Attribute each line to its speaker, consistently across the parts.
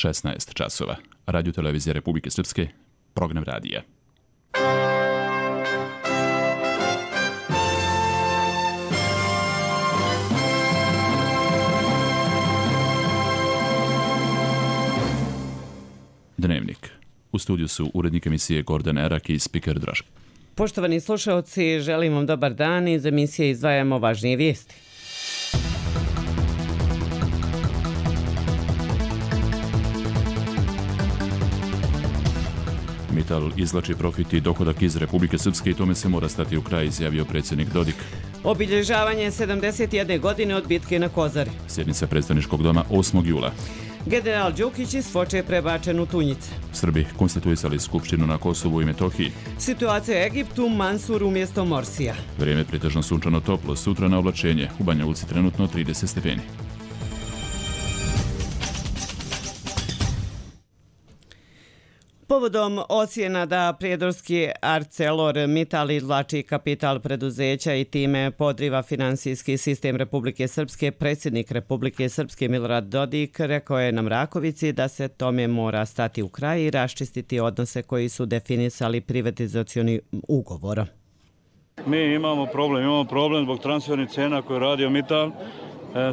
Speaker 1: 16 časova. Radio televizija Republike Srpske, program radija. Dnevnik. U studiju su urednik emisije Gordon Erak i spiker Draško.
Speaker 2: Poštovani slušaoci, želim vam dobar dan. Iz emisije izdvajamo važnije vijesti.
Speaker 1: Mital izvlači profit i dohodak iz Republike Srpske i tome se mora stati u kraj, izjavio predsjednik Dodik.
Speaker 2: Obilježavanje 71. godine od bitke na Kozari.
Speaker 1: Sjednica predstavničkog doma 8. jula.
Speaker 2: General Đukić iz Foče prebačen u Tunjice.
Speaker 1: Srbi konstituisali skupštinu na Kosovu i Metohiji.
Speaker 2: Situacija u Egiptu, Mansur umjesto Morsija.
Speaker 1: Vrijeme pretežno sunčano toplo, sutra na oblačenje. U Banja Luci trenutno 30 stepeni.
Speaker 2: Povodom ocjena da prijedorski ArcelorMittal izvlači kapital preduzeća i time podriva finansijski sistem Republike Srpske, predsjednik Republike Srpske Milorad Dodik rekao je na Mrakovici da se tome mora stati u kraj i raščistiti odnose koji su definisali privatizacioni ugovorom.
Speaker 3: Mi imamo problem zbog transfernih cena koje je radio Mittal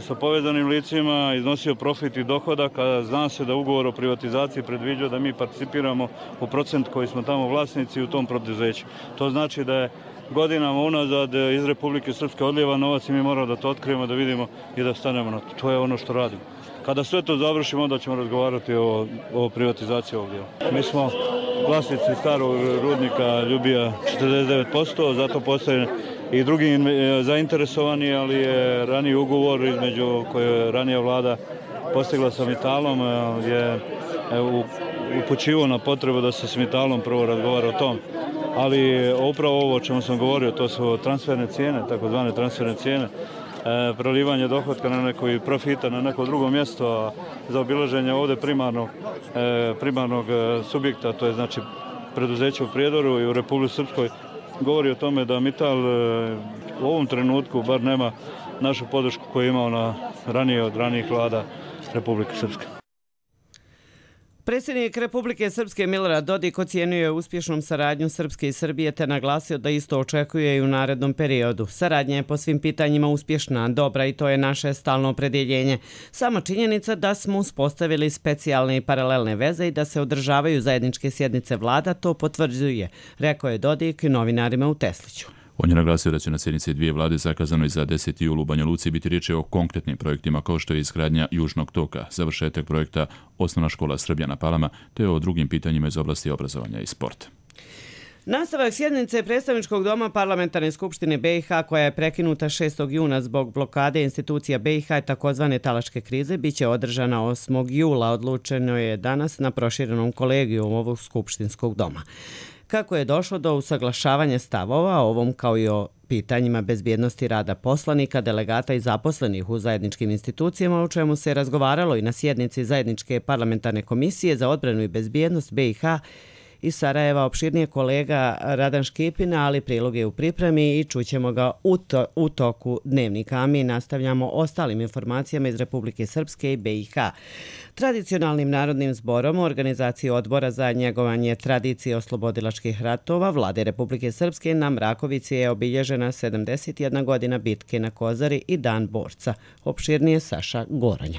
Speaker 3: sa povezanim licima, iznosio profit i dohodak, a zna se da ugovor o privatizaciji predviđa da mi participiramo u procent koji smo tamo vlasnici u tom preduzeću. To znači da je godinama unazad iz Republike Srpske odlijeva novac i mi moramo da to otkrijemo, da vidimo i da stanemo na to. To je ono što radimo. Kada sve to završimo, onda ćemo razgovarati o privatizaciji ovog dijela. Mi smo vlasnici starog rudnika Ljubija 49%, zato postoje i drugi zainteresovani, ali je raniji ugovor između koje je ranija vlada postigla sa Mittalom je upućivao na potrebu da se s Mittalom prvo razgovara o tom. Ali upravo ovo o čemu sam govorio, to su transferne cijene, takozvane transferne cijene, prelivanje dohotka na neko i profita na neko drugo mjesto, a za obilaženje ovdje primarnog subjekta, to je znači preduzeće u Prijedoru i u Republici Srpskoj, govori o tome da Mittal u ovom trenutku bar nema našu podršku koju je imao ranije od ranijih vlada Republike Srpske.
Speaker 2: Predsjednik Republike Srpske Milorad Dodik ocijenio je uspješnom saradnju Srpske i Srbije te naglasio da isto očekuje i u narednom periodu. Saradnja je po svim pitanjima uspješna, dobra i to je naše stalno opredjeljenje. Sama činjenica da smo uspostavili specijalne i paralelne veze i da se održavaju zajedničke sjednice vlada to potvrđuje, rekao je Dodik novinarima u Tesliću.
Speaker 1: On je naglasio da će na sjednici dvije vlade zakazanoj za 10. julu u Banja Luci biti riječ o konkretnim projektima kao što je izgradnja Južnog toka, završetak projekta Osnovna škola Srbija na Palama, te o drugim pitanjima iz oblasti obrazovanja i sporta.
Speaker 2: Nastavak sjednice predstavničkog doma Parlamentarne skupštine BiH koja je prekinuta 6. juna zbog blokade institucija BiH i takozvane talačke krize biće održana 8. jula. Odlučeno je danas na proširenom kolegiju ovog skupštinskog doma. Kako je došlo do usaglašavanja stavova o ovom kao i o pitanjima bezbjednosti rada poslanika, delegata i zaposlenih u zajedničkim institucijama, o čemu se razgovaralo i na sjednici Zajedničke parlamentarne komisije za odbranu i bezbjednost BiH iz Sarajeva, opširnije kolega Radan Škipina, ali prilog je u pripremi i čućemo ga u toku dnevnika. A mi nastavljamo ostalim informacijama iz Republike Srpske i BiH. Tradicionalnim narodnim zborom u organizaciji odbora za njegovanje tradicije oslobodilačkih ratova Vlade Republike Srpske na Mrakovici je obilježena 71 godina bitke na Kozari i Dan borca. Opširnije Saša Goranja.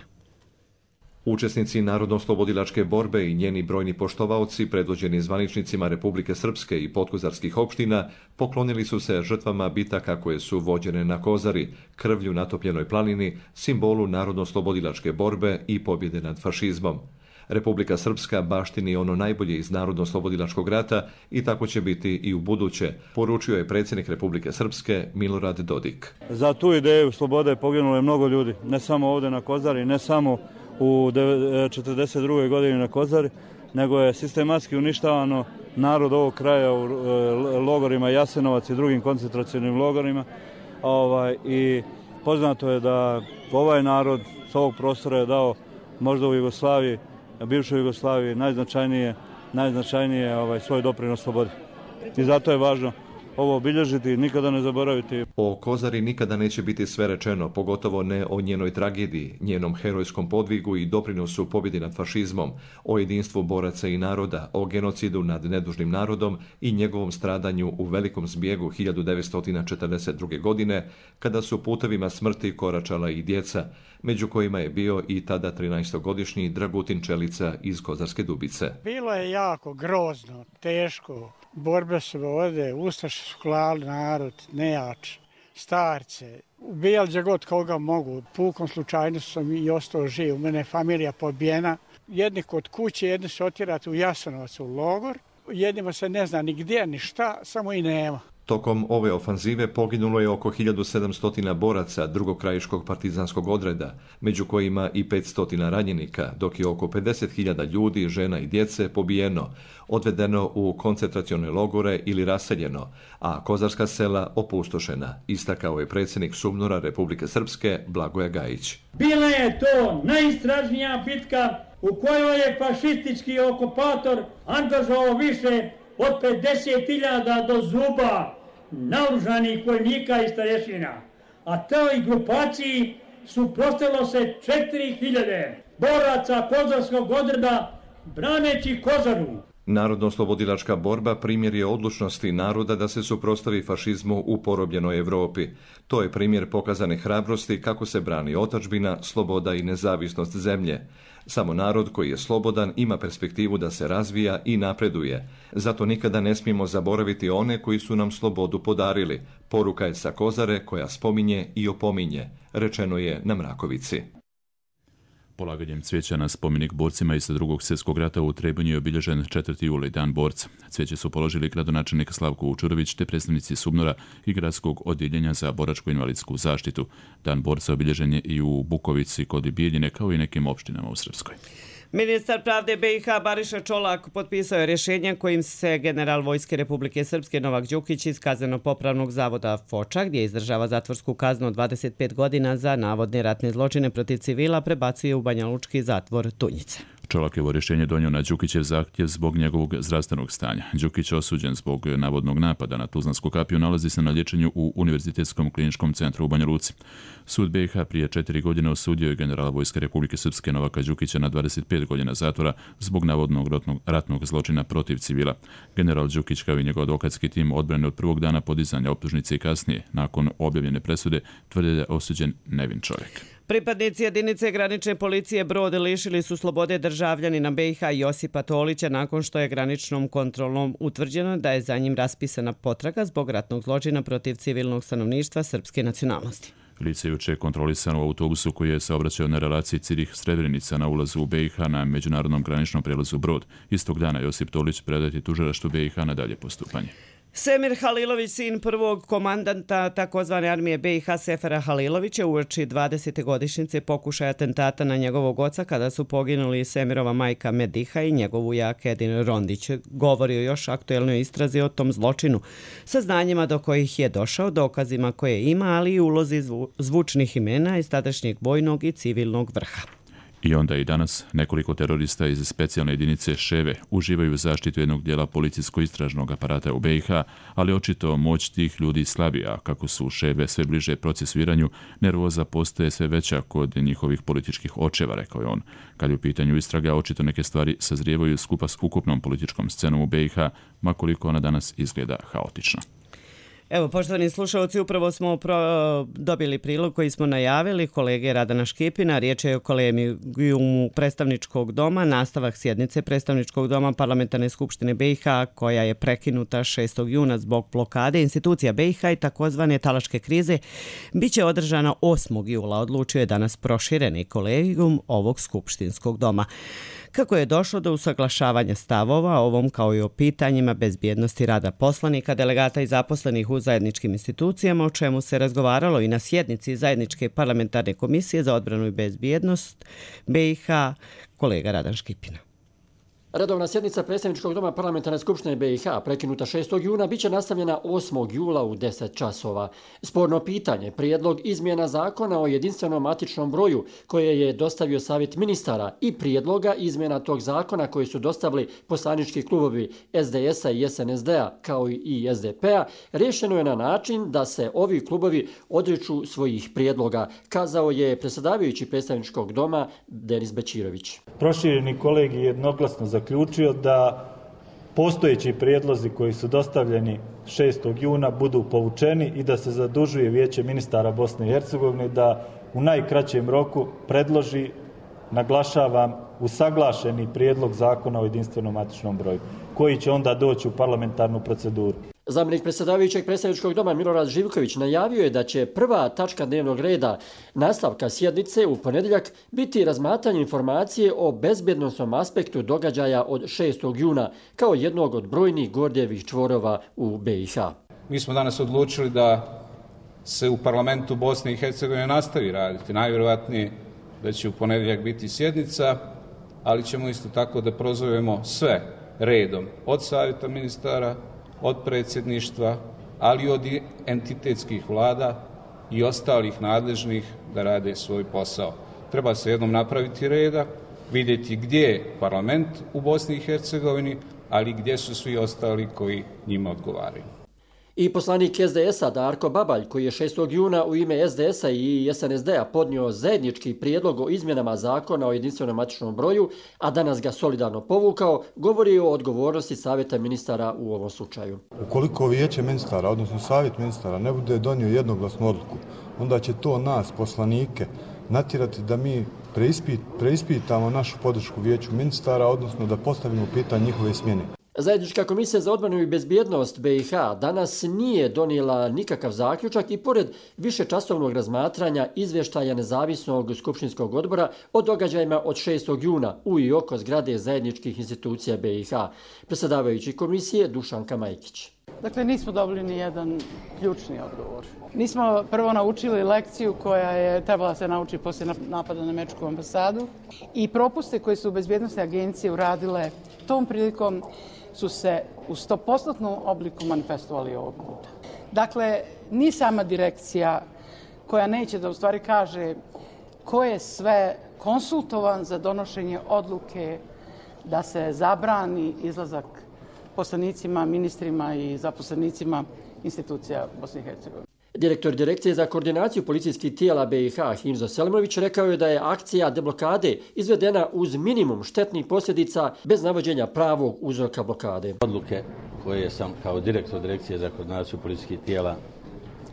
Speaker 4: Učesnici narodno-oslobodilačke borbe i njeni brojni poštovaoci, predvođeni zvaničnicima Republike Srpske i podkozarskih opština, poklonili su se žrtvama bitaka koje su vođene na Kozari, krvlju natopljenoj planini, simbolu narodno-oslobodilačke borbe i pobjede nad fašizmom. Republika Srpska baštini ono najbolje iz narodno-oslobodilačkog rata i tako će biti i u buduće, poručio je predsjednik Republike Srpske Milorad Dodik.
Speaker 3: Za tu ideju slobode poginulo je mnogo ljudi, ne samo ovdje na Kozari, ne samo u 1942. godini na Kozari, nego je sistematski uništavano narod ovog kraja u logorima Jasenovac i drugim koncentracionim logorima. I poznato je da ovaj narod s ovog prostora je dao možda u Jugoslaviji, bivšoj Jugoslaviji, najznačajnije svoj doprinos slobodi. I zato je važno ovo obilježiti i nikada ne zaboraviti.
Speaker 4: O Kozari nikada neće biti sve rečeno, pogotovo ne o njenoj tragediji, njenom herojskom podvigu i doprinosu pobjedi nad fašizmom, o jedinstvu boraca i naroda, o genocidu nad nedužnim narodom i njegovom stradanju u velikom zbjegu 1942. godine, kada su putevima smrti koračala i djeca, među kojima je bio i tada 13-godišnji Dragutin Čelica iz Kozarske Dubice.
Speaker 5: Bilo je jako grozno, teško. Borbe su vode, ustaše su klali narod, nejač, starce. Ubijali gdje god koga mogu. Pukom slučajno sam i ostao živ. U mene je familija pobijena. Jedni kod kuće, jedni su otjerati u Jasenovac u logor. Jednima se ne zna ni gdje, ni šta, samo i nema.
Speaker 4: Tokom ove ofanzive poginulo je oko 1700 boraca drugog krajiškog partizanskog odreda, među kojima i 500 ranjenika, dok je oko 50.000 ljudi, žena i djece pobijeno, odvedeno u koncentracione logore ili raseljeno, a kozarska sela opustošena, istakao je predsjednik SUBNOR-a Republike Srpske Blagoje Gajić.
Speaker 6: Bila je to najstražnija bitka u kojoj je fašistički okupator angažovao više od 50.000 do zuba naoružanih vojnika i starješina, a toj grupaciji suprotstavilo se 4.000 boraca kozarskog odreda braneći Kozaru.
Speaker 4: Narodno-oslobodilačka borba primjer je odlučnosti naroda da se suprotstavi fašizmu u porobljenoj Europi. To je primjer pokazane hrabrosti kako se brani otadžbina, sloboda i nezavisnost zemlje. Samo narod koji je slobodan ima perspektivu da se razvija i napreduje. Zato nikada ne smijemo zaboraviti one koji su nam slobodu podarili. Poruka je sa Kozare koja spominje i opominje, rečeno je na Mrakovici.
Speaker 1: Polaganjem cvijeća na spomenik borcima iz Drugog svjetskog rata u Trebinju je obilježen 4. juli, Dan borca. Cvijeće su položili gradonačelnik Slavko Vučurović te predstavnici SUBNOR-a i Gradskog odjeljenja za boračko-invalidsku zaštitu. Dan borca obilježen je i u Bukovici kod Bijeljine, kao i nekim opštinama u Srpskoj.
Speaker 2: Ministar pravde BiH Bariša Čolak potpisao je rješenje kojim se general Vojske Republike Srpske Novak Đukić iz kazneno-popravnog zavoda Foča, gdje izdržava zatvorsku kaznu od 25 godina za navodne ratne zločine protiv civila, prebacuje u banjalučki zatvor Tunjice.
Speaker 1: Čolakevo rješenje donio na Đukićev zahtjev zbog njegovog zdravstvenog stanja. Đukić, osuđen zbog navodnog napada na Tuzlansku kapiju, nalazi se na liječenju u Univerzitetskom kliničkom centru u Banja Luci. Sud BiH prije 4 godine osudio je generala Vojske Republike Srpske Novaka Đukića na 25 godina zatvora zbog navodnog ratnog zločina protiv civila. General Đukić kao i njegov advokatski tim odbrane od prvog dana podizanja optužnice i kasnije, nakon objavljene presude, tvrde da je osuđen nevin čovjek.
Speaker 2: Pripadnici jedinice granične policije Brod lišili su slobode državljanina BiH Josipa Tolića nakon što je graničnom kontrolom utvrđeno da je za njim raspisana potraga zbog ratnog zločina protiv civilnog stanovništva srpske nacionalnosti.
Speaker 1: Lice je juče kontrolisano u autobusu koji je saobraćao na relaciji Cirih-Srebrenica na ulazu u BiH na međunarodnom graničnom prijelazu Brod. Istog dana Josip Tolić predati tužilaštvu BiH na dalje postupanje.
Speaker 2: Semir Halilović, sin prvog komandanta takozvane armije BiH Sefera Halilovića, uoči 20. godišnjice pokušaja atentata na njegovog oca kada su poginuli Semirova majka Mediha i njegov ujak Edin Rondić. Govorio još aktuelnoj istrazi o tom zločinu, saznanjima do kojih je došao, dokazima koje ima, ali i ulozi zvučnih imena iz tadašnjeg vojnog i civilnog vrha.
Speaker 1: I onda i danas nekoliko terorista iz specijalne jedinice Ševe uživaju zaštitu jednog dijela policijsko-istražnog aparata u BiH, ali očito moć tih ljudi slabija. Kako su Ševe sve bliže procesuiranju, nervoza postaje sve veća kod njihovih političkih očeva, rekao je on. Kad je u pitanju istraga, očito neke stvari sazrijevaju skupa s ukupnom političkom scenom u BiH, makoliko ona danas izgleda haotično.
Speaker 2: Evo, poštovani slušalci, upravo smo dobili prilog koji smo najavili kolege Radana Škipina. Riječ je o kolegijumu predstavničkog doma, nastavak sjednice predstavničkog doma Parlamentarne skupštine BiH koja je prekinuta 6. juna zbog blokade institucija BiH i takozvane talačke krize, biće održana 8. jula, odlučio je danas prošireni kolegijum ovog skupštinskog doma. Kako je došlo do usaglašavanja stavova ovom kao i o pitanjima bezbjednosti rada poslanika, delegata i zaposlenih u zajedničkim institucijama, o čemu se razgovaralo i na sjednici Zajedničke parlamentarne komisije za odbranu i bezbjednost BiH, kolega Radan Škipina.
Speaker 7: Redovna sjednica Predstavničkog doma Parlamentarne skupštine BiH prekinuta 6. juna biće nastavljena 8. jula u 10 časova. Sporno pitanje, prijedlog izmjena zakona o jedinstvenom matičnom broju koje je dostavio Savjet ministara i prijedloga izmjena tog zakona koji su dostavili poslanički klubovi SDS-a i SNSD-a kao i SDP-a, rješeno je na način da se ovi klubovi odriču svojih prijedloga, kazao je predsjedavajući Predstavničkog doma Denis Bećirović.
Speaker 8: Prošireni kolegij jednoglasno zaključio da postojeći prijedlozi koji su dostavljeni 6. juna budu povučeni i da se zadužuje Vijeće ministara Bosne i Hercegovine da u najkraćem roku predloži, naglašavam, usaglašeni prijedlog zakona o jedinstvenom matičnom broju, koji će onda doći u parlamentarnu proceduru.
Speaker 7: Zamjenik predsjedavajućeg Predstavničkog doma Milorad Živković najavio je da će prva tačka dnevnog reda nastavka sjednice u ponedjeljak biti razmatranje informacije o bezbjednosnom aspektu događaja od 6. juna kao jednog od brojnih Gordijevih čvorova u BiH.
Speaker 9: Mi smo danas odlučili da se u parlamentu Bosne i Hercegovine nastavi raditi. Najvjerojatnije da će u ponedjeljak biti sjednica, ali ćemo isto tako da prozovemo sve redom od Savjeta ministara, od predsjedništva, ali i od entitetskih vlada i ostalih nadležnih da rade svoj posao. Treba se jednom napraviti reda, vidjeti gdje je parlament u Bosni i Hercegovini, ali gdje su svi ostali koji njima odgovaraju.
Speaker 7: I poslanik SDS-a Darko Babalj, koji je 6. juna u ime SDS-a i SNSD-a podnio zajednički prijedlog o izmjenama zakona o jedinstvenom matičnom broju, a danas ga solidarno povukao, govori o odgovornosti Savjeta ministara u ovom slučaju.
Speaker 10: Ukoliko Vijeće ministara, odnosno Savjet ministara, ne bude donio jednoglasnu odluku, onda će to nas, poslanike, natjerati da mi preispitamo našu podršku Vijeću ministara, odnosno da postavimo pitanje njihove smjene.
Speaker 7: Zajednička komisija za odbranu i bezbjednost BiH danas nije donijela nikakav zaključak i pored višečasovnog razmatranja izvještaja nezavisnog skupštinskog odbora o događajima od 6. juna u i oko zgrade zajedničkih institucija BiH. Predsjedavajući komisije Dušanka Majkić.
Speaker 11: Dakle, nismo dobili ni jedan ključni odgovor. Nismo prvo naučili lekciju koja je trebala se naučiti poslije napada na američku ambasadu i propuste koje su bezbjednosne agencije uradile tom prilikom su se u 100% obliku manifestovali ovog puta. Dakle, ni sama direkcija koja neće da u stvari kaže ko je sve konsultovan za donošenje odluke da se zabrani izlazak poslanicima, ministrima i zaposlenicima institucija Bosne i Hercegovine.
Speaker 7: Direktor Direkcije za koordinaciju policijskih tijela BiH Himzo Selimović rekao je da je akcija deblokade izvedena uz minimum štetnih posljedica bez navođenja pravog uzroka blokade.
Speaker 12: Odluke koje sam kao direktor Direkcije za koordinaciju policijskih tijela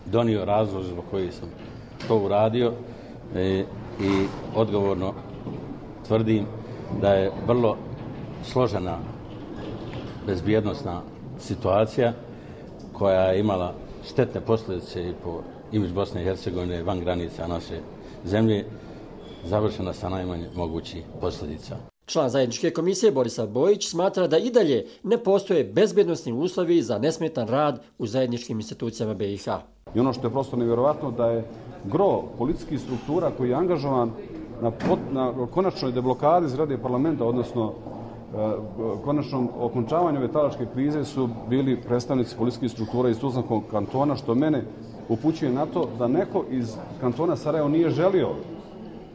Speaker 12: donio, razlog zbog koji sam to uradio i odgovorno tvrdim da je vrlo složena bezbjednosna situacija koja je imala štetne posljedice i po imidž Bosne i Hercegovine van granica naše zemlje, završena sa najmanje mogućih posljedica.
Speaker 7: Član zajedničke komisije Borisav Bojić smatra da i dalje ne postoje bezbjednosni uslovi za nesmetan rad u zajedničkim institucijama BiH.
Speaker 13: I ono što je prosto nevjerovatno da je gro policijskih struktura koji je angažovan na konačnoj deblokadi zgrade parlamenta, odnosno konačnom okončavanju ove talačke krize su bili predstavnici policijskih struktura iz Tuzlanskog kantona, što mene upućuje na to da neko iz kantona Sarajevo nije želio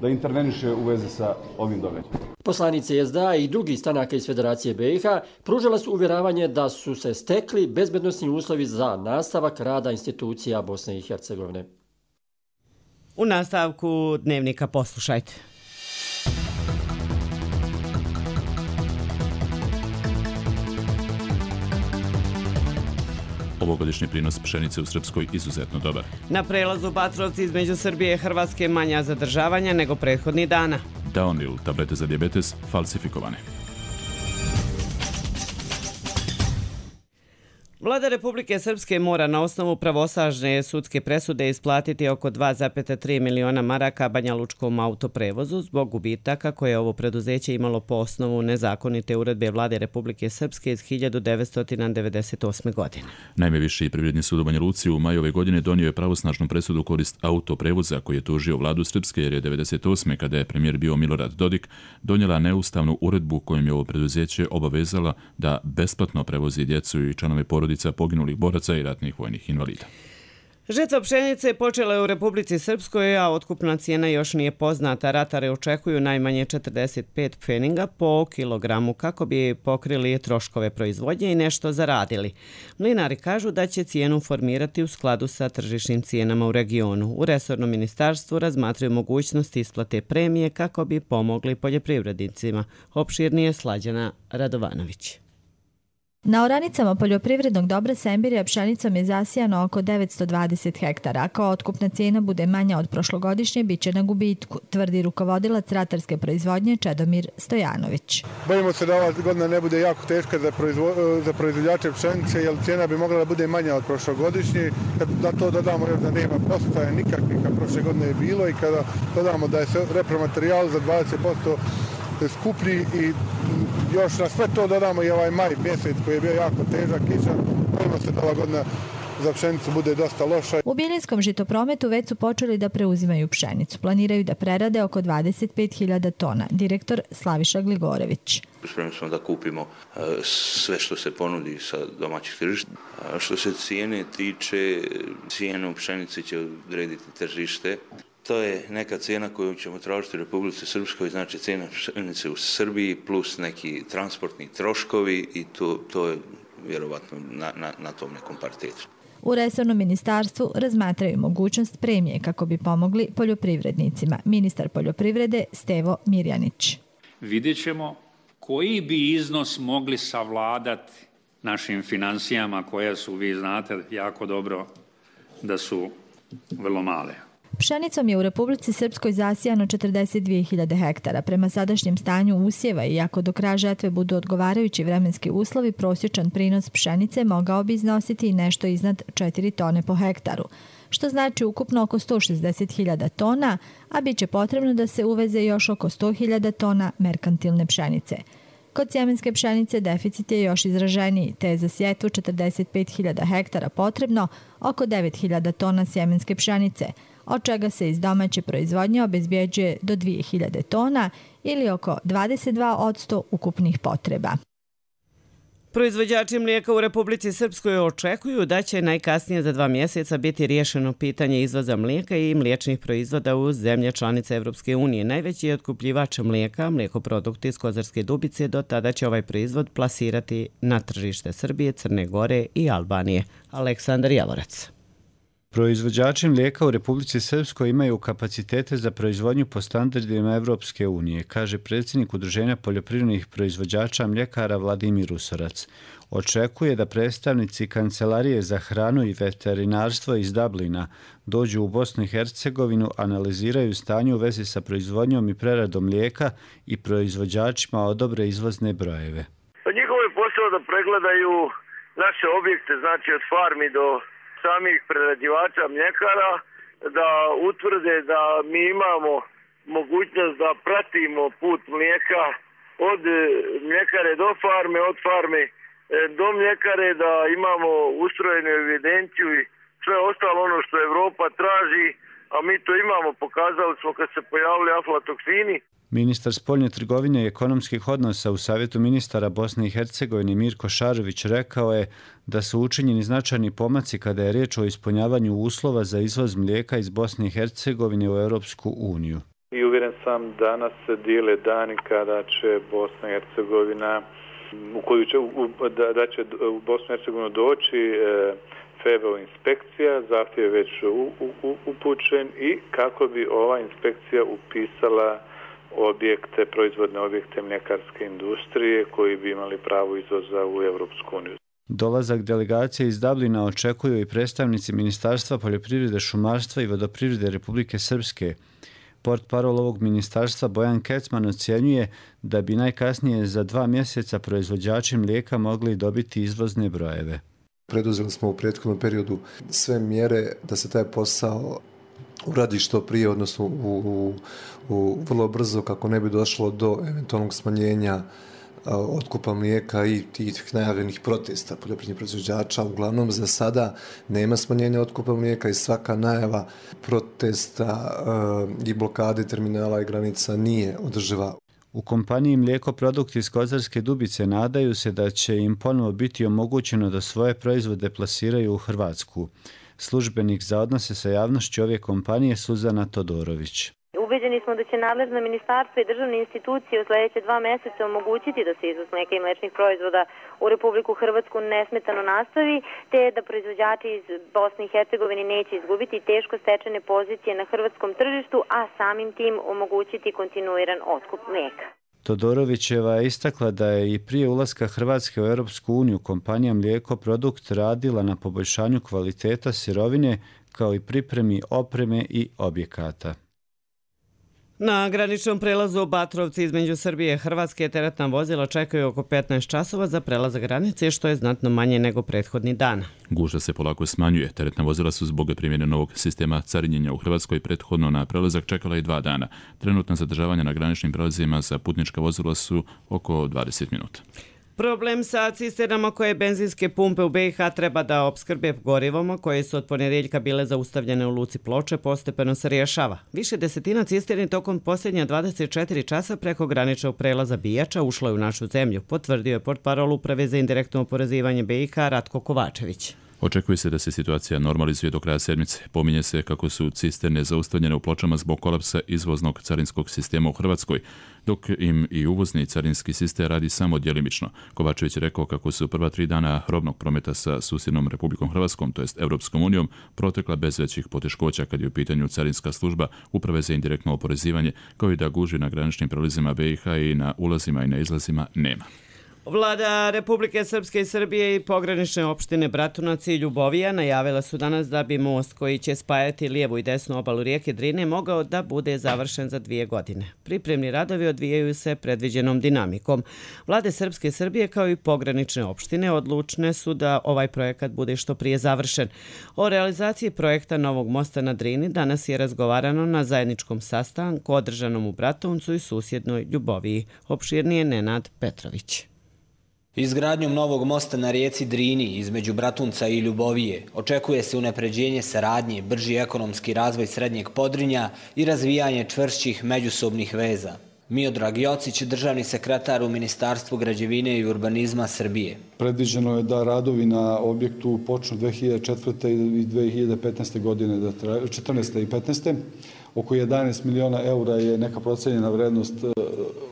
Speaker 13: da interveniše u vezi sa ovim događajem.
Speaker 7: Poslanice SDA i drugi stranaka iz Federacije BiH pružila su uvjeravanje da su se stekli bezbednosni uslovi za nastavak rada institucija Bosne i Hercegovine.
Speaker 2: U nastavku dnevnika poslušajte.
Speaker 1: Ovogodišnji prinos pšenice u Srpskoj izuzetno dobar.
Speaker 2: Na prelazu Batrovci između Srbije i Hrvatske manja zadržavanja nego prethodnih dana.
Speaker 1: Daonil, tablete za dijabetes, falsifikovane.
Speaker 2: Vlada Republike Srpske mora na osnovu pravosažne sudske presude isplatiti oko 2,3 miliona maraka banjalučkom autoprevozu zbog gubitaka koje je ovo preduzeće imalo po osnovu nezakonite uredbe Vlade Republike Srpske iz 1998. godine.
Speaker 1: Naime, Viši privredni sud u Banja Luci u maju ove godine donio je pravosnažnu presudu u korist autoprevoza koji je tužio Vladu Srpske jer je 1998. kada je premijer bio Milorad Dodik donijela neustavnu uredbu kojom je ovo preduzeće obavezala da besplatno prevozi djecu i članove porodica poginulih boraca i ratnih vojnih invalida.
Speaker 2: Žetva pšenice počela je u Republici Srpskoj, a otkupna cijena još nije poznata. Ratare očekuju najmanje 45 pfeninga po kilogramu kako bi pokrili troškove proizvodnje i nešto zaradili. Mlinari kažu da će cijenu formirati u skladu sa tržišnim cijenama u regionu. U resornom ministarstvu razmatraju mogućnosti isplate premije kako bi pomogli poljoprivrednicima. Opširnije Slađana Radovanović.
Speaker 14: Na oranicama poljoprivrednog dobra Sembirija pšenicom je zasijano oko 920 hektara. Ako otkupna cijena bude manja od prošlogodišnje, bit će na gubitku, tvrdi rukovodilac ratarske proizvodnje Čedomir Stojanović.
Speaker 10: Bojimo se da ova godina ne bude jako teška za proizvođače pšenice, jer cijena bi mogla da bude manja od prošlogodišnje. Kad na to dodamo još da nema postaje nikakvih, kad prošle godine je bilo, i kada dodamo da je repromaterijal za 20% skuplji i još na sve to dodamo i ovaj maj mjesec koji je bio jako težak kišan, bojimo se da ova godina za pšenicu bude dosta loša.
Speaker 14: U Biljinskom žitoprometu već su počeli da preuzimaju pšenicu. Planiraju da prerade oko 25.000 tona. Direktor Slaviša Gligorević.
Speaker 15: Spremni smo da kupimo sve što se ponudi sa domaćih tržišta. Što se cijene tiče, cijenu pšenice će odrediti tržište. To je neka cijena koju ćemo tražiti u Republici Srpskoj, znači cijena pšenice u Srbiji plus neki transportni troškovi i to je vjerovatno na tom nekom paritetu.
Speaker 14: U resornom ministarstvu razmatraju mogućnost premije kako bi pomogli poljoprivrednicima. Ministar poljoprivrede Stevo Mirjanić.
Speaker 16: Vidjet ćemo koji bi iznos mogli savladati našim financijama koje su, vi znate jako dobro, da su vrlo male.
Speaker 14: Pšenicom je u Republici Srpskoj zasijano 42.000 hektara. Prema sadašnjem stanju usjeva i ako do kraja žetve budu odgovarajući vremenski uslovi, prosječan prinos pšenice mogao bi iznositi i nešto iznad 4 tone po hektaru, što znači ukupno oko 160.000 tona, a bit će potrebno da se uveze još oko 100.000 tona merkantilne pšenice. Kod sjemenske pšenice deficit je još izraženiji, te je za sjetvu 45.000 hektara potrebno oko 9.000 tona sjemenske pšenice, od čega se iz domaće proizvodnje obezbjeđuje do 2.000 tona ili oko 22% ukupnih potreba.
Speaker 2: Proizvođači mlijeka u Republici Srpskoj očekuju da će najkasnije za 2 mjeseca biti riješeno pitanje izvoza mlijeka i mliječnih proizvoda u zemlje članice Evropske unije. Najveći otkupljivač mlijeka, Mlijekoprodukti iz Kozarske Dubice, do tada će ovaj proizvod plasirati na tržište Srbije, Crne Gore i Albanije. Aleksandar Javorac.
Speaker 17: Proizvođači mlijeka u Republici Srpskoj imaju kapacitete za proizvodnju po standardima Evropske unije, kaže predsjednik Udruženja poljoprivrednih proizvođača mljekara Vladimir Usorac. Očekuje da predstavnici Kancelarije za hranu i veterinarstvo iz Dublina dođu u Bosnu i Hercegovinu, analiziraju stanje u vezi sa proizvodnjom i preradom mlijeka i proizvođačima odobre izvozne brojeve.
Speaker 18: Njihov je posao da pregledaju naše objekte, znači od farmi do samih prerađivača mljekara, da utvrde da mi imamo mogućnost da pratimo put mlijeka od mljekare do farme, od farme do mljekare, da imamo ustrojenu evidenciju i sve ostalo ono što Evropa traži, a mi to imamo, pokazali smo kad se pojavili aflatoksini.
Speaker 17: Ministar spoljne trgovine i ekonomskih odnosa u Savjetu ministara Bosne i Hercegovine Mirko Šarović rekao je da su učinjeni značajni pomaci kada je riječ o ispunjavanju uslova za izvoz mlijeka iz Bosne i Hercegovine u Europsku uniju.
Speaker 19: I uvjeren sam danas se dijele dani kada će Bosna i Hercegovina, da će u Bosnu i Hercegovinu doći FEVO inspekcija, zahtjev je već upućen i kako bi ova inspekcija upisala objekte, proizvodne objekte mljekarske industrije koji bi imali pravo izvoza u Europsku uniju.
Speaker 17: Dolazak delegacije iz Dublina očekuju i predstavnici Ministarstva poljoprivrede, šumarstva i vodoprivrede Republike Srpske. Portparol ovog ministarstva Bojan Kecman ocjenjuje da bi najkasnije za 2 mjeseca proizvođači mlijeka mogli dobiti izvozne brojeve.
Speaker 20: Preduzeli smo u prethodnom periodu sve mjere da se taj posao uradi što prije, odnosno u vrlo brzo, kako ne bi došlo do eventualnog smanjenja otkupa mlijeka i tih najavljenih protesta poljoprivrednih proizvođača. Uglavnom za sada nema smanjenja otkupa mlijeka i svaka najava protesta i blokade terminala i granica nije održiva.
Speaker 17: U kompaniji Mlijeko produkti iz Kozarske Dubice nadaju se da će im ponovo biti omogućeno da svoje proizvode plasiraju u Hrvatsku. Službenik za odnose sa javnošću ove kompanije Suzana Todorović.
Speaker 21: Ubeđeni smo da će nadležna ministarstva i državne institucije u sljedeće 2 mjeseca omogućiti da se izvoz mlijeka i mliječnih proizvoda u Republiku Hrvatsku nesmetano nastavi, te da proizvođači iz Bosne i Hercegovine neće izgubiti teško stečene pozicije na hrvatskom tržištu, a samim tim omogućiti kontinuiran otkup mlijeka.
Speaker 17: Todorovićeva je istakla da je i prije ulaska Hrvatske u Europsku uniju kompanija Mlijeko Produkt radila na poboljšanju kvaliteta sirovine kao i pripremi opreme i objekata.
Speaker 2: Na graničnom prelazu Batrovci između Srbije i Hrvatske teretna vozila čekaju oko 15 časova za prelazak granice, što je znatno manje nego prethodni dan.
Speaker 1: Gužva se polako smanjuje. Teretna vozila su zbog primjene novog sistema carinjenja u Hrvatskoj prethodno na prelazak čekala i 2 dana. Trenutna zadržavanja na graničnim prelazima za putnička vozila su oko 20 minuta.
Speaker 2: Problem sa cisternama koje benzinske pumpe u BiH treba da opskrbe gorivom, koje su od ponedjeljka bile zaustavljene u luci Ploče, postepeno se rješava. Više desetina cisterni tokom posljednja 24 časa preko graničnog prelaza Bijača ušlo je u našu zemlju, potvrdio je portparol Uprave za indirektno oporezivanje BiH Ratko Kovačević.
Speaker 1: Očekuje se da se situacija normalizuje do kraja sedmice. Pominje se kako su cisterne zaustavljene u Pločama zbog kolapsa izvoznog carinskog sistema u Hrvatskoj, dok im i uvozni carinski sistem radi samo djelimično. Kovačević je rekao kako su prva 3 dana robnog prometa sa susjednom Republikom Hrvatskom, to jest Europskom unijom, protekla bez većih poteškoća kad je u pitanju carinska služba Uprave za indirektno oporezivanje, kao i da gužvi na graničnim prelazima BiH i na ulazima i na izlazima nema.
Speaker 2: Vlada Republike Srpske i Srbije i pogranične opštine Bratunac i Ljubovija najavila su danas da bi most koji će spajati lijevu i desnu obalu rijeke Drine mogao da bude završen za 2 godine. Pripremni radovi odvijaju se predviđenom dinamikom. Vlade Srpske i Srbije kao i pogranične opštine odlučne su da ovaj projekat bude što prije završen. O realizaciji projekta novog mosta na Drini danas je razgovarano na zajedničkom sastanku održanom u Bratuncu i susjednoj Ljuboviji. Opširnije Nenad Petrović.
Speaker 22: Izgradnjom novog mosta na rijeci Drini između Bratunca i Ljubovije očekuje se unapređenje saradnje, brži ekonomski razvoj Srednjeg Podrinja i razvijanje čvršćih međusobnih veza. Miodrag Jocić, državni sekretar u Ministarstvu građevine i urbanizma Srbije.
Speaker 10: Predviđeno je da radovi na objektu počnu 2004. i 2015. godine, 14. i 15. Oko 11 miliona eura je neka procenjena vrednost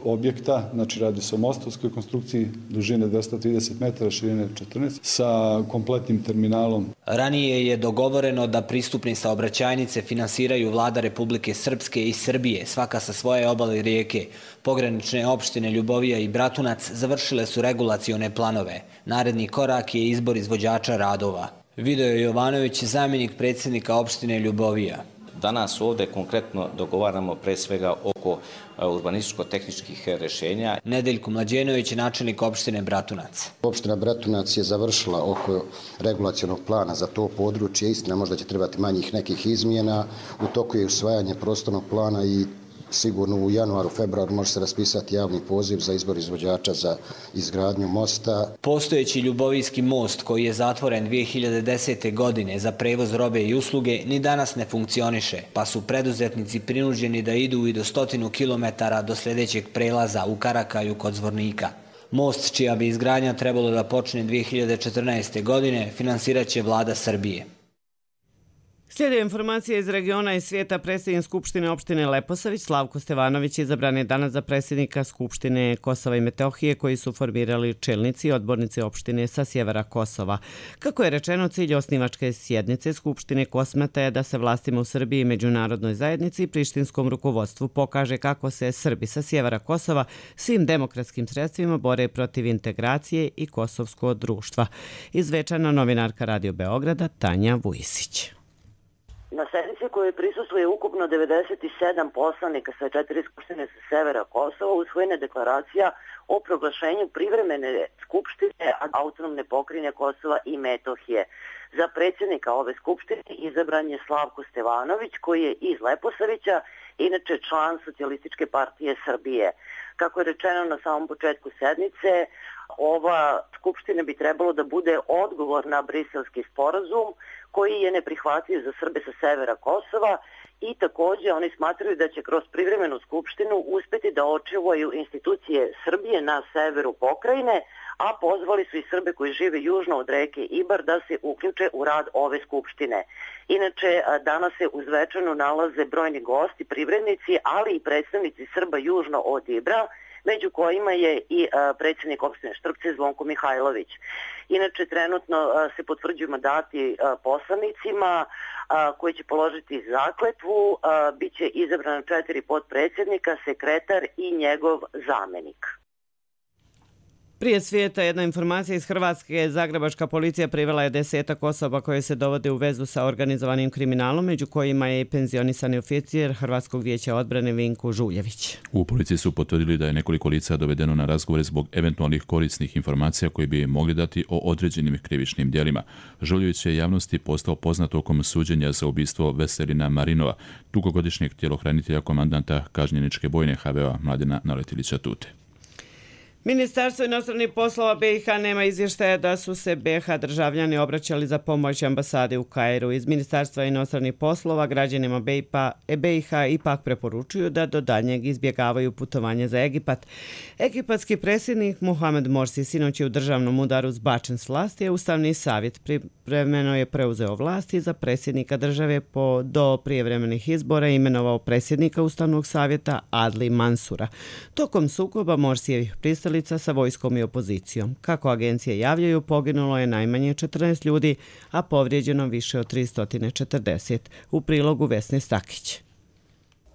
Speaker 10: objekta, znači radi se o mostovskoj konstrukciji dužine 230 metara, širine 14, sa kompletnim terminalom.
Speaker 22: Ranije je dogovoreno da pristupne saobraćajnice finansiraju vlada Republike Srpske i Srbije, svaka sa svoje obale rijeke. Pogranične opštine Ljubovija i Bratunac završile su regulacione planove. Naredni korak je izbor izvođača radova. Video Jovanović, zamjenik predsjednika opštine Ljubovija.
Speaker 23: Danas ovdje konkretno dogovaramo pre svega oko urbanističko-tehničkih rješenja.
Speaker 22: Nedeljko Mlađenović, načelnik opštine Bratunac.
Speaker 24: Opština Bratunac je završila oko regulacionog plana za to područje. Istina, možda će trebati manjih nekih izmjena. U toku je usvajanje prostornog plana i sigurno u januaru, februaru može se raspisati javni poziv za izbor izvođača za izgradnju mosta.
Speaker 22: Postojeći Ljubovijski most koji je zatvoren 2010. godine za prevoz robe i usluge ni danas ne funkcioniše, pa su preduzetnici prinuđeni da idu i do 100 km do sljedećeg prelaza u Karakaju kod Zvornika. Most, čija bi izgradnja trebalo da počne 2014. godine, finansirat će vlada Srbije.
Speaker 2: Slijede informacije iz regiona i svijeta. Predsjednik Skupštine opštine Leposavić Slavko Stevanović izabran je danas za predsjednika Skupštine Kosova i Metohije, koji su formirali čelnici i odbornici opštine sa sjevera Kosova. Kako je rečeno, cilj osnivačke sjednice Skupštine Kosmeta je da se vlastima u Srbiji, međunarodnoj zajednici i prištinskom rukovodstvu pokaže kako se Srbi sa sjevera Kosova svim demokratskim sredstvima bore protiv integracije i kosovskog društva. Izvečana novinarka Radio Beograda Tanja Vujisić.
Speaker 3: Na sednici kojoj prisustvuje ukupno 97 poslanika sa 4 skupštine sa severa Kosova usvojena deklaracija o proglašenju privremene skupštine autonomne pokrajine Kosova i Metohije. Za predsjednika ove skupštine izabran je Slavko Stevanović, koji je iz Leposavića, inače član Socijalističke partije Srbije. Kako je rečeno na samom početku sednice, ova skupština bi trebalo da bude odgovor na briselski sporazum koji je neprihvatljiv za Srbe sa severa Kosova i također oni smatraju da će kroz privremenu skupštinu uspjeti da očuvaju institucije Srbije na severu pokrajine, a pozvali su i Srbe koji žive južno od reke Ibar da se uključe u rad ove skupštine. Inače, danas se u Zvečanu nalaze brojni gosti, privrednici, ali i predstavnici Srba južno od Ibra, među kojima je i predsjednik opštine Štrpce Zvonko Mihajlović. Inače, trenutno se potvrđuju mandati poslanicima koji će položiti zakletvu, bit će izabrano 4 potpredsjednika, sekretar i njegov zamenik.
Speaker 2: Prije svijeta jedna informacija iz Hrvatske. Zagrebačka policija privela je 10 osoba koje se dovode u vezu sa organizovanim kriminalom, među kojima je i penzionisani oficir Hrvatskog vijeća odbrane Vinko Žuljević.
Speaker 1: U policiji su potvrdili da je nekoliko lica dovedeno na razgovore zbog eventualnih korisnih informacija koje bi mogli dati o određenim krivičnim djelima. Žuljević je javnosti postao poznat tokom suđenja za ubistvo Veselina Marinova, dugogodišnjeg tjelohranitelja komandanta kažnjeničke bojne HVO Mladena Naletilića Tute.
Speaker 2: Ministarstvo inostranih poslova BiH nema izvještaja da su se BiH državljani obraćali za pomoć ambasade u Kairu. Iz Ministarstva inostranih poslova građanima BiH ipak preporučuju da do daljnjeg izbjegavaju putovanje za Egipat. Egipatski predsjednik Mohamed Morsi sinoć je u državnom udaru zbačen s vlasti, a Ustavni savjet privremeno je preuzeo vlasti za predsjednika države do prijevremenih izbora i imenovao predsjednika Ustavnog savjeta Adli Mansura. Tokom sukoba Morsijevih pristalica sa vojskom i opozicijom. Kako agencije javljaju, poginulo je najmanje 14 ljudi, a povrijeđeno više od 340. U prilogu Vesne Stakić.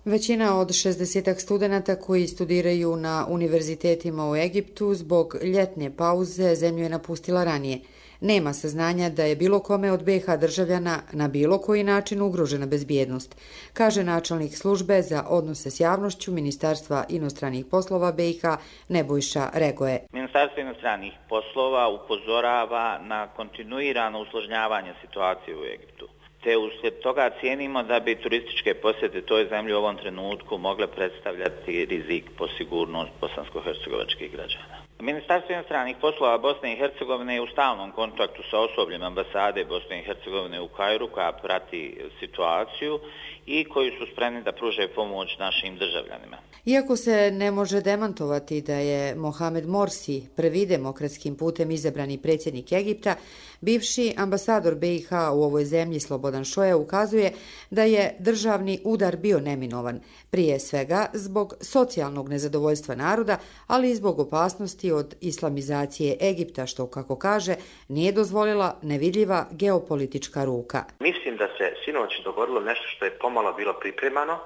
Speaker 4: Većina od 60 studenata koji studiraju na univerzitetima u Egiptu zbog ljetne pauze zemlju je napustila ranije. Nema saznanja da je bilo kome od BiH državljana na bilo koji način ugrožena bezbjednost, kaže načelnik službe za odnose s javnošću Ministarstva inostranih poslova BiH Nebojša Regoje.
Speaker 5: Ministarstvo inostranih poslova upozorava na kontinuirano usložnjavanje situacije u Egiptu. Te uslijed toga cijenimo da bi turističke posjete toj zemlji u ovom trenutku mogle predstavljati rizik po sigurnost bosansko-hercegovačkih građana. Ministarstvo inostranih poslova Bosne i Hercegovine je u stalnom kontaktu sa osobljem ambasade Bosne i Hercegovine u Kairu koja prati situaciju i koji su spremni da pruže pomoć našim državljanima.
Speaker 4: Iako se ne može demantovati da je Mohamed Morsi prvi demokratskim putem izabrani predsjednik Egipta, bivši ambasador BiH u ovoj zemlji Slobodan Šoja ukazuje da je državni udar bio neminovan, prije svega zbog socijalnog nezadovoljstva naroda, ali i zbog opasnosti od islamizacije Egipta, što, kako kaže, nije dozvolila nevidljiva geopolitička ruka.
Speaker 6: Mislim da se sinoć dogodilo nešto što je pomalo bilo pripremano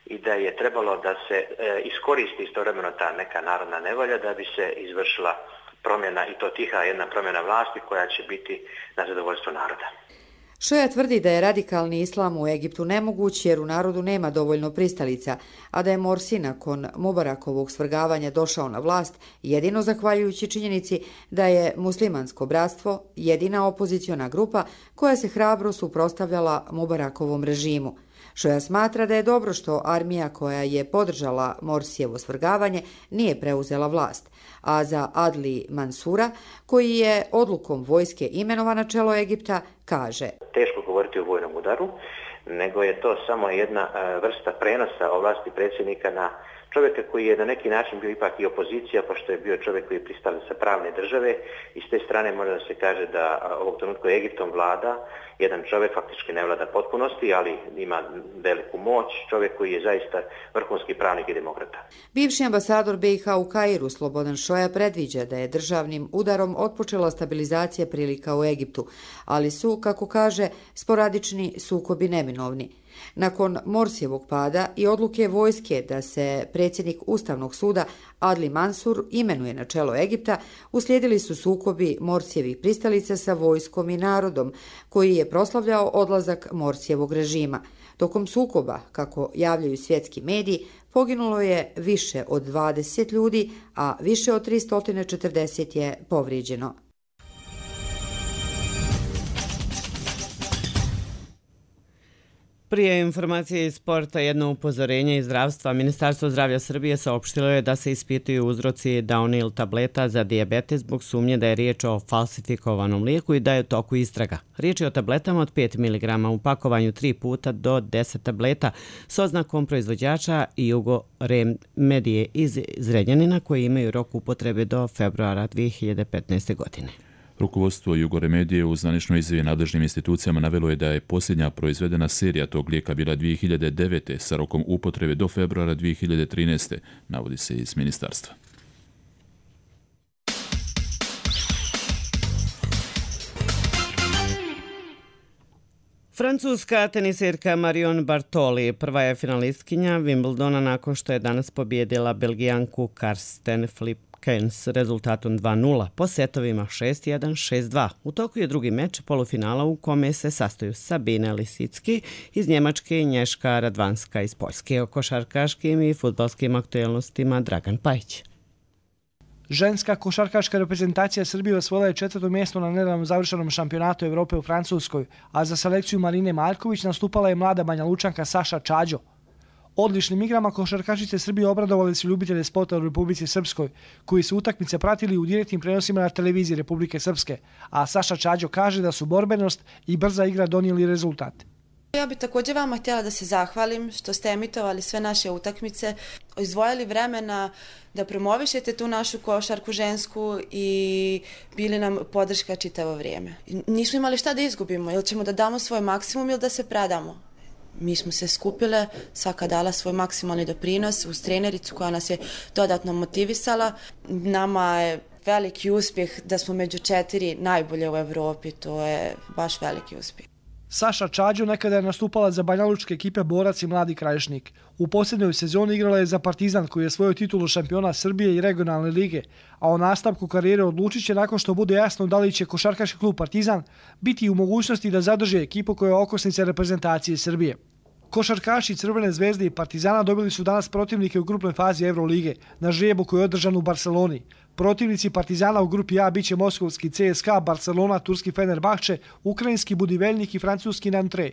Speaker 6: i da je trebalo da se iskoristi istovremeno ta neka narodna nevolja da bi se izvršila promjena, i to tiha jedna promjena vlasti koja će biti na zadovoljstvo naroda.
Speaker 4: Šoja tvrdi da je radikalni islam u Egiptu nemoguć jer u narodu nema dovoljno pristalica, a da je Morsi nakon Mubarakovog svrgavanja došao na vlast jedino zahvaljujući činjenici da je muslimansko bratstvo jedina opoziciona grupa koja se hrabro suprotstavljala Mubarakovom režimu. Šoja smatra da je dobro što armija koja je podržala Morsijevo svrgavanje nije preuzela vlast, a za Adli Mansura, koji je odlukom vojske imenovan na čelo Egipta, kaže:
Speaker 6: Teško govoriti o vojnom udaru, nego je to samo jedna vrsta prenosa ovlasti predsjednika na čovjeka koji je na neki način bio ipak i opozicija, pošto je bio čovjek koji je pristao sa pravne države i s te strane može da se kaže da ovog trenutku Egiptom vlada jedan čovjek, faktički ne vlada potpunosti, ali ima veliku moć, čovjek koji je zaista vrhunski pravnik i demokrata.
Speaker 4: Bivši ambasador BiH u Kairu Slobodan Šoja predviđa da je državnim udarom otpočela stabilizacija prilika u Egiptu, ali su, kako kaže, sporadični sukobi neminovni. Nakon Morsijevog pada i odluke vojske da se predsjednik Ustavnog suda Adli Mansur imenuje na čelo Egipta, uslijedili su sukobi Morsijevih pristalica sa vojskom i narodom, koji je proslavljao odlazak Morsijevog režima. Tokom sukoba, kako javljaju svjetski mediji, poginulo je više od 20 ljudi, a više od 340 je povrijeđeno.
Speaker 2: Prije informacije iz sporta jedno upozorenje iz zdravstva. Ministarstvo zdravlja Srbije saopštilo je da se ispituju uzroci Downil tableta za dijabetes zbog sumnje da je riječ o falsifikovanom lijeku i da je u toku istraga. Riječ je o tabletama od 5 mg u pakovanju 3 puta do 10 tableta s oznakom proizvođača Jugo Remedije iz Zrenjanina koji imaju rok upotrebe do februara 2015. godine.
Speaker 1: Rukovodstvo Jugoremedije u zvaničnoj izjavi nadležnim institucijama navelo je da je posljednja proizvedena serija tog lijeka bila 2009. sa rokom upotrebe do februara 2013. navodi se iz ministarstva.
Speaker 2: Francuska tenisirka Marion Bartoli prva je finalistkinja Wimbledona nakon što je danas pobijedila Belgijanku Karsten Flipkens rezultatom 2:0 po setovima 6:1, 6:2. U toku je drugi meč polufinala u kome se sastoju Sabine Lisicki iz Njemačke i Nješka Radvanska iz Poljske. O košarkaškim i fudbalskim aktuelnostima Dragan Pajić.
Speaker 8: Ženska košarkaška reprezentacija Srbije osvojila je 4. mjesto na nedavno završenom šampionatu Evrope u Francuskoj, a za selekciju Marine Marković nastupala je mlada Banja Lučanka Saša Čađo. Odličnim igrama košarkašice Srbije obradovali su ljubitelje sporta u Republici Srpskoj, koji su utakmice pratili u direktnim prenosima na televiziji Republike Srpske, a Saša Čađo kaže da su borbenost i brza igra donijeli rezultat.
Speaker 9: Ja bih također vama htjela da se zahvalim što ste emitovali sve naše utakmice, izdvojili vremena da promovišete tu našu košarku žensku i bili nam podrška čitavo vrijeme. Nismo imali šta da izgubimo, ili ćemo da damo svoj maksimum ili da se predamo. Mi smo se skupile, svaka dala svoj maksimalni doprinos uz trenericu koja nas je dodatno motivisala. Nama je veliki uspjeh da smo među 4 najbolje u Evropi, to je baš veliki uspjeh.
Speaker 8: Saša Čađo nekada je nastupala za banjalučke ekipe Borac i Mladi Krajišnik. U posljednjoj sezoni igrala je za Partizan koji je svoju titulu šampiona Srbije i regionalne lige, a o nastavku karijere odlučit će nakon što bude jasno da li će košarkaški klub Partizan biti u mogućnosti da zadrže ekipu koja je okosnica reprezentacije Srbije. Košarkaši Crvene zvezde i Partizana dobili su danas protivnike u grupnoj fazi Evrolige na žrebu koji je održan u Barceloni. Protivnici Partizana u grupi A biće moskovski CSKA, Barcelona, turski Fenerbahče, ukrajinski Budivelnik i francuski Nantes.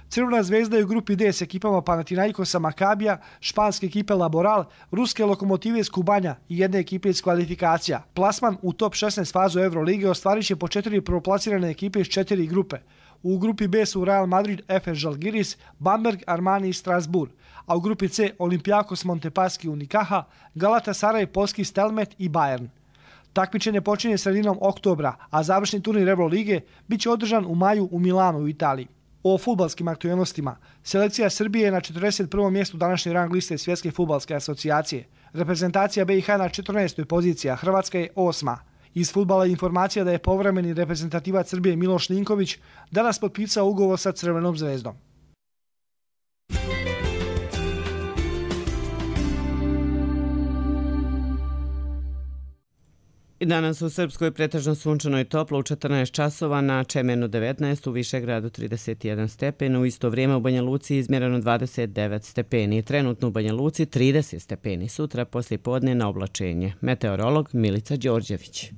Speaker 8: Crvena zvezda je u grupi D s ekipama Panathinaikosa Makabija, španske ekipe Laboral, ruske Lokomotive iz Kubanja i jedne ekipe iz kvalifikacija. Plasman u top 16 fazu Evrolige ostvarit će po 4 prvoplasirane ekipe iz 4 grupe. U grupi B su Real Madrid, FS Žalgiris, Bamberg, Armani i Strasbourg, a u grupi C Olympiakos Montepaschi Unicaja, Galatasaray, Polski Stelmet i Bayern. Takmičenje počinje sredinom oktobra, a završni turnir Evrolige bit će održan u maju u Milanu u Italiji. O fudbalskim aktuelnostima. Selekcija Srbije je na 41. mjestu današnje rang liste Svjetske fudbalske asocijacije. Reprezentacija BiH na 14. poziciji, a Hrvatska je 8. Iz fudbala je informacija da je povremeni reprezentativac Srbije Miloš Ninković danas potpisao ugovor sa Crvenom zvezdom.
Speaker 2: I danas u Srpskoj pretežno sunčano i toplo u 14 časova, na Čemenu 19, u Višegradu 31 stepen, u isto vrijeme u Banja Luci izmjereno 29 stepeni, trenutno u Banja Luci 30 stepeni, sutra poslije podne na oblačenje. Meteorolog Milica Đorđević.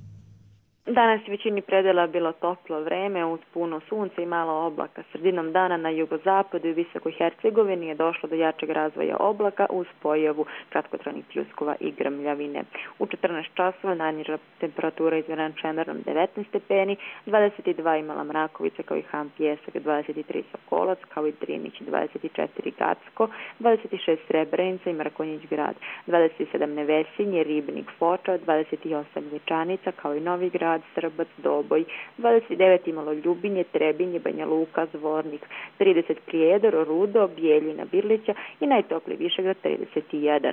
Speaker 11: Danas je većini predela bilo toplo vreme uz puno sunca i malo oblaka. Sredinom dana na jugozapadu i Visokoj Hercegovini je došlo do jačeg razvoja oblaka uz pojavu kratkotrajnih pljuskova i grmljavine. U 14 časova najniža temperatura izmjerena Čemernom 19 stepeni, 22 imala Mrakovica kao i Han Pjesak, 23 Sokolac kao i Drinić, 24 Gacko, 26 Srebrenica i Mrakonjić grad, 27 Nevesinje, Ribnik, Foča, 28 Lječanica kao i Novi grad, Srbac, Doboj, 29 imalo Ljubinje, Trebinje, Banja Luka, Zvornik, 30 Prijedor, Rudo, Bijeljina, Birlića i najtopliji Višegrad 31.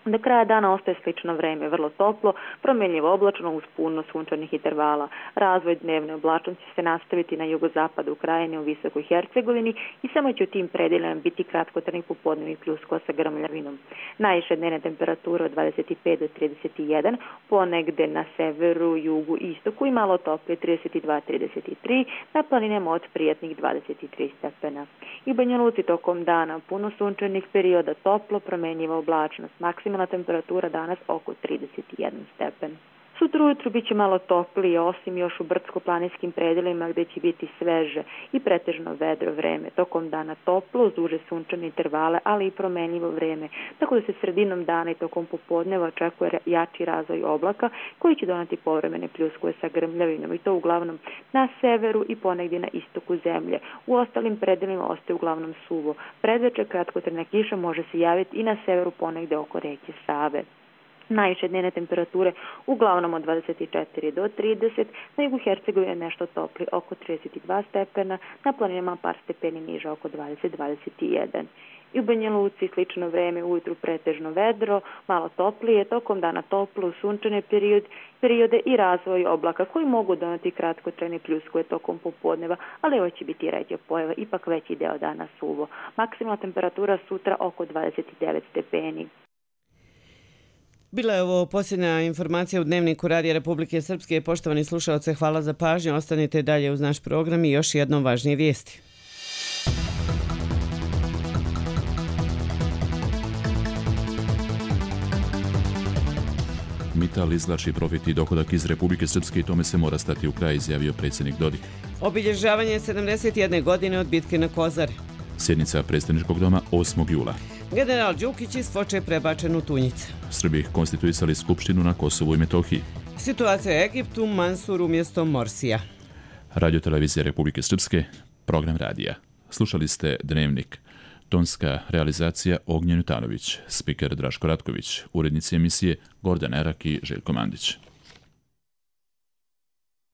Speaker 11: Do kraja dana ostaje slično vreme, vrlo toplo, promjenljivo oblačno uz puno sunčanih intervala. Razvoj dnevne oblačnosti će se nastaviti na jugozapadu Ukrajine u Visokoj Hercegovini i samo će u tim predeljima biti kratkotrajnih popodnevnih pljuskova sa grmljavinom. Najviše dnevne temperature od 25 do 31, ponegde na severu, jugu, istoku i malo toplije 32-33, na planinama od prijatnih 23 stepena. I u Banja Luci tokom dana puno sunčanih perioda, toplo, promjenljiva oblačnost, maksimalna temperatura danas oko 31 stepen. Sutra ujutru bit će malo toplije, osim još u brdsko-planinskim predelima gdje će biti sveže i pretežno vedro vreme. Tokom dana toplo, uz duže sunčane intervale, ali i promenljivo vreme, tako da se sredinom dana i tokom popodneva očekuje jači razvoj oblaka koji će doneti povremene pljuskove sa grmljavinom i to uglavnom na severu i ponegdje na istoku zemlje. U ostalim predelima ostaje uglavnom suvo. Predveče kratkotrajna kiša može se javiti i na severu ponegdje oko reke Save. Najviše dnevne temperature uglavnom od 24 do 30, na jugu Hercegovine nešto topli oko 32 stepena, na planinama par stepeni niže oko 20-21. I u Banja Luci slično vreme, ujutru pretežno vedro, malo toplije, tokom dana toplo, sunčane periode i razvoj oblaka koji mogu doneti kratkotrajne pljuskove tokom popodneva, ali ovo će biti ređa pojava, ipak veći deo dana suvo. Maksimalna temperatura sutra oko 29 stepeni.
Speaker 2: Bila je ovo posljednja informacija u Dnevniku Radija Republike Srpske. Poštovani slušalce, hvala za pažnju. Ostanite dalje uz naš program i još jednom važnije vijesti.
Speaker 1: Mital izvlači profit i dohodak iz Republike Srpske i tome se mora stati u kraj, izjavio predsjednik Dodik.
Speaker 2: Obilježavanje 71. godine od bitke na Kozari.
Speaker 1: Sjednica predsjedničkog doma 8. jula.
Speaker 2: General Đukić iz Foče prebačen u Tunjice.
Speaker 1: Srbi konstituisali skupštinu na Kosovu i Metohiji.
Speaker 2: Situacija u Egiptu, Mansur umjesto Morsija.
Speaker 1: Radio televizija Republike Srpske, program radija. Slušali ste Dnevnik. Tonska realizacija Ognjen Jutanović, spiker Draško Ratković, urednici emisije Gordan Erak i Željko Mandić.